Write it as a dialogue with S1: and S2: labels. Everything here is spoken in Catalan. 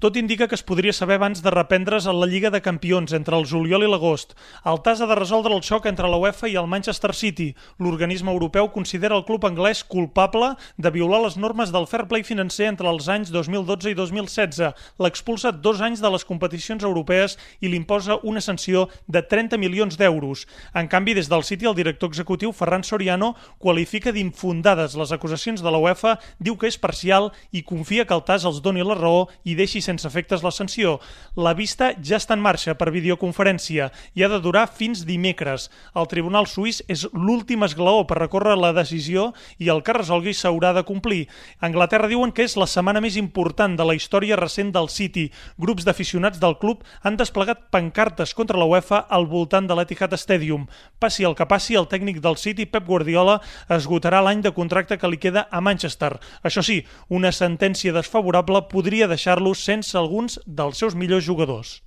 S1: Tot indica que es podria saber abans de reprendre's a la Lliga de Campions entre el juliol i l'agost. El TAS ha de resoldre el xoc entre la UEFA i el Manchester City. L'organisme europeu considera el club anglès culpable de violar les normes del fair play financer entre els anys 2012 i 2016. L'expulsa 2 anys de les competicions europees i li imposa una sanció de 30 milions d'euros. En canvi, des del City, el director executiu Ferran Soriano qualifica d'infundades les acusacions de la UEFA, diu que és parcial i confia que el TAS els doni la raó i deixi sense efectes la sanció. La vista ja està en marxa per videoconferència i ha de durar fins dimecres. El Tribunal Suís és l'últim esglaó per recórrer la decisió i el que resolgui s'haurà de complir. A Anglaterra diuen que és la setmana més important de la història recent del City. Grups d'aficionats del club han desplegat pancartes contra la UEFA al voltant de l'Etihad Stadium. Passi el que passi, el tècnic del City, Pep Guardiola, esgotarà l'any de contracte que li queda a Manchester. Això sí, una sentència desfavorable podria deixar-lo sense alguns dels seus millors jugadors.